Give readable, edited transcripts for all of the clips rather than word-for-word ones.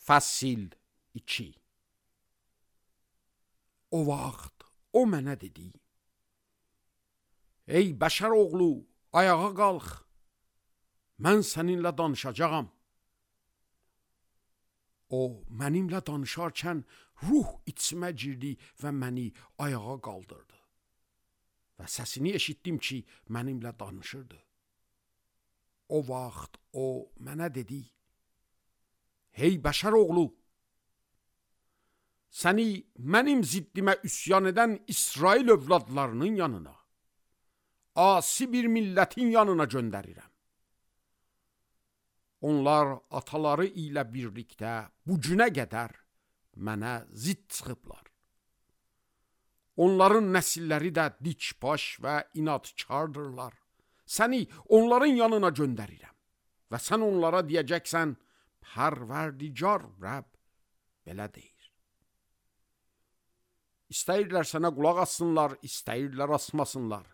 Fəsil 2. O vaxt o mənə dedi: Ey bəşər oğlu, ayağa qalx, mən səninlə danışacağam. O mənimlə danışarkən ruh içimə girdi və məni ayağa qaldırdı. Və səsini eşitdim ki, mənimlə danışırdı. O vaxt o mənə dedi: Hey bəşər oğlu, səni mənim ziddimə üsyan edən İsrail övladlarının yanına, asi bir millətin yanına göndərirəm. Onlar ataları ilə birlikdə bu günə qədər mənə zidd çıxıblar. Onların nəsilləri də dikbaş və inadkardırlar. Səni onların yanına göndərirəm və sən onlara deyəcəksən: Pərverdigar Rəbb belə deyir. İstəyirlər sənə qulaq assınlar, istəyirlər asmasınlar.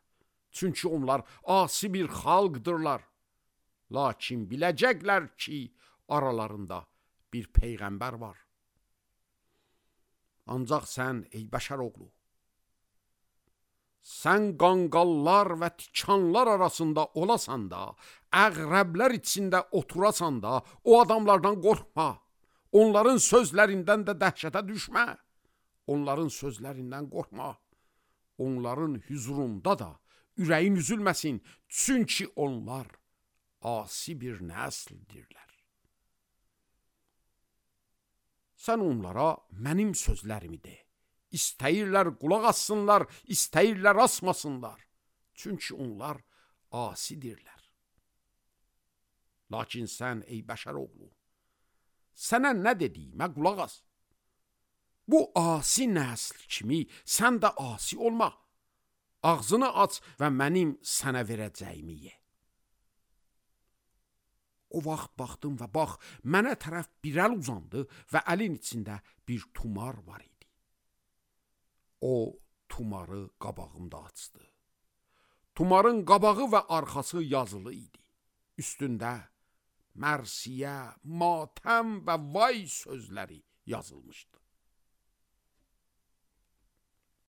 Çünki onlar asi bir xalqdırlar. Lakin biləcəklər ki, aralarında bir peyğəmbər var. Ancaq sən, ey bəşər oğlu, sən qanqallar və tikanlar arasında olasan da, əqrəblər içində oturasan da, o adamlardan qorxma. Onların sözlərindən də dəhşətə düşmə. Onların sözlərindən qorxma. Onların hüzurunda da ürəyin üzülməsin. Çünki onlar asi bir nəsildirlər. Sən onlara mənim sözlərimi de. İstəyirlər qulaq assınlar, istəyirlər asmasınlar. Çünki onlar asidirlər. Lakin sən, ey bəşər oğlu, sənə nə dediyimə qulaq as. Bu asi nəsl kimi sən də asi olma. Ağzını aç və mənim sənə verəcəyimi ye. O vaxt baxdım və bax, mənə tərəf bir əl uzandı və əlin içində bir tumar var idi. O tumarı qabağımda açdı. Tumarın qabağı və arxası yazılı idi. Üstündə mərsiyə, matəm və vay sözləri yazılmışdı.